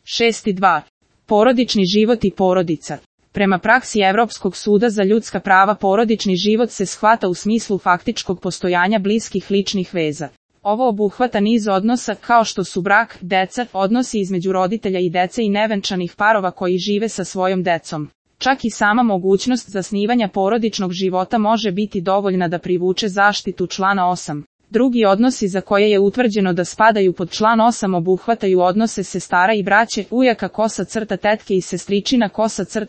6.2. Porodični život i porodica. Prema praksi Evropskog suda za ljudska prava porodični život se shvata u smislu faktičkog postojanja bliskih ličnih veza. Ovo obuhvata niz odnosa kao što su brak, deca, odnosi između roditelja i dece i nevenčanih parova koji žive sa svojom decom. Čak i sama mogućnost zasnivanja porodičnog života može biti dovoljna da privuče zaštitu člana 8. Drugi odnosi za koje je utvrđeno da spadaju pod član 8 obuhvataju odnose sestara i braće, ujaka tetke i sestričina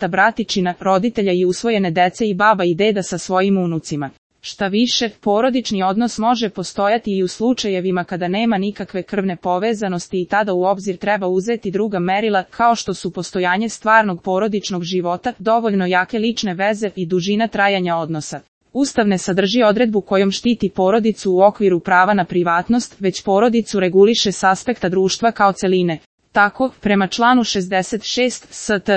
bratičina, roditelja i usvojene dece i baba i deda sa svojim unucima. Šta više, porodični odnos može postojati i u slučajevima kada nema nikakve krvne povezanosti i tada u obzir treba uzeti druga merila kao što su postojanje stvarnog porodičnog života, dovoljno jake lične veze i dužina trajanja odnosa. Ustav ne sadrži odredbu kojom štiti porodicu u okviru prava na privatnost, već porodicu reguliše s aspekta društva kao celine. Tako, prema članu 66 st.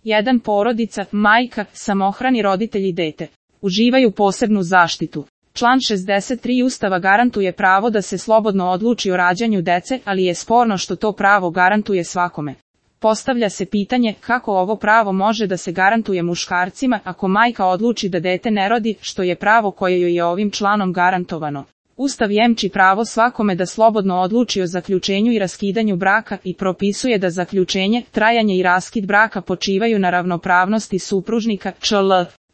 1 porodica, majka, samohrani roditelj i dete uživaju posebnu zaštitu. Član 63 Ustava garantuje pravo da se slobodno odluči o rađanju dece, ali je sporno što to pravo garantuje svakome. Postavlja se pitanje kako ovo pravo može da se garantuje muškarcima ako majka odluči da dete ne rodi, što je pravo koje joj je ovim članom garantovano. Ustav jemči pravo svakome da slobodno odluči o zaključenju i raskidanju braka i propisuje da zaključenje, trajanje i raskid braka počivaju na ravnopravnosti supružnika, čl.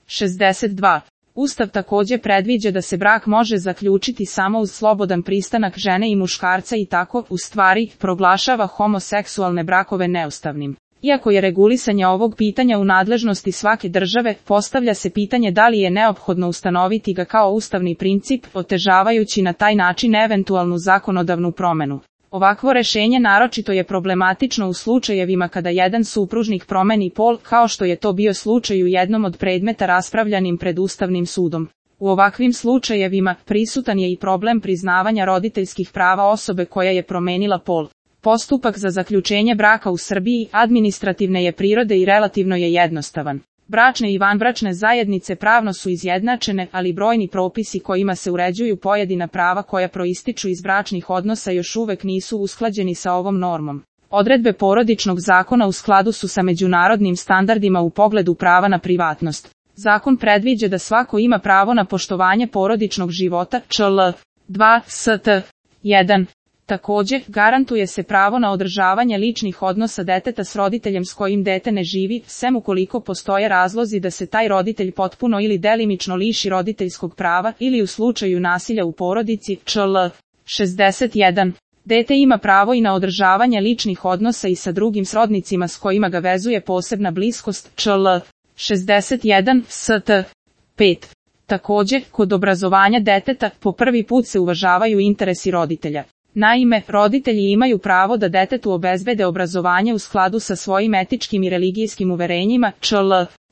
62. Ustav također predviđa da se brak može zaključiti samo uz slobodan pristanak žene i muškarca i tako, u stvari, proglašava homoseksualne brakove neustavnim. Iako je regulisanje ovog pitanja u nadležnosti svake države, postavlja se pitanje da li je neophodno ustanoviti ga kao ustavni princip, otežavajući na taj način eventualnu zakonodavnu promenu. Ovakvo rešenje naročito je problematično u slučajevima kada jedan supružnik promeni pol, kao što je to bio slučaj u jednom od predmeta raspravljanim pred Ustavnim sudom. U ovakvim slučajevima prisutan je i problem priznavanja roditeljskih prava osobe koja je promenila pol. Postupak za zaključenje braka u Srbiji administrativne je prirode i relativno je jednostavan. Bračne i vanbračne zajednice pravno su izjednačene, ali brojni propisi kojima se uređuju pojedina prava koja proističu iz bračnih odnosa još uvek nisu usklađeni sa ovom normom. Odredbe porodičnog zakona u skladu su sa međunarodnim standardima u pogledu prava na privatnost. Zakon predviđa da svako ima pravo na poštovanje porodičnog života, čl. 2 st. 1. Također, garantuje se pravo na održavanje ličnih odnosa deteta s roditeljem s kojim dete ne živi, sem ukoliko postoje razlozi da se taj roditelj potpuno ili delimično liši roditeljskog prava ili u slučaju nasilja u porodici, čl. 61. Dete ima pravo i na održavanje ličnih odnosa i sa drugim srodnicima s kojima ga vezuje posebna bliskost, čl. 61 st. 5. Također, kod obrazovanja deteta, po prvi put se uvažavaju interesi roditelja. Naime, roditelji imaju pravo da detetu obezbede obrazovanje u skladu sa svojim etičkim i religijskim uverenjima, čl.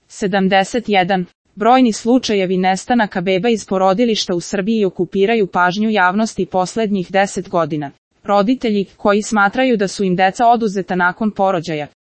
71. Brojni slučajevi nestanaka beba iz porodilišta u Srbiji okupiraju pažnju javnosti poslednjih 10 godina. Roditelji, koji smatraju da su im deca oduzeta nakon porođaja,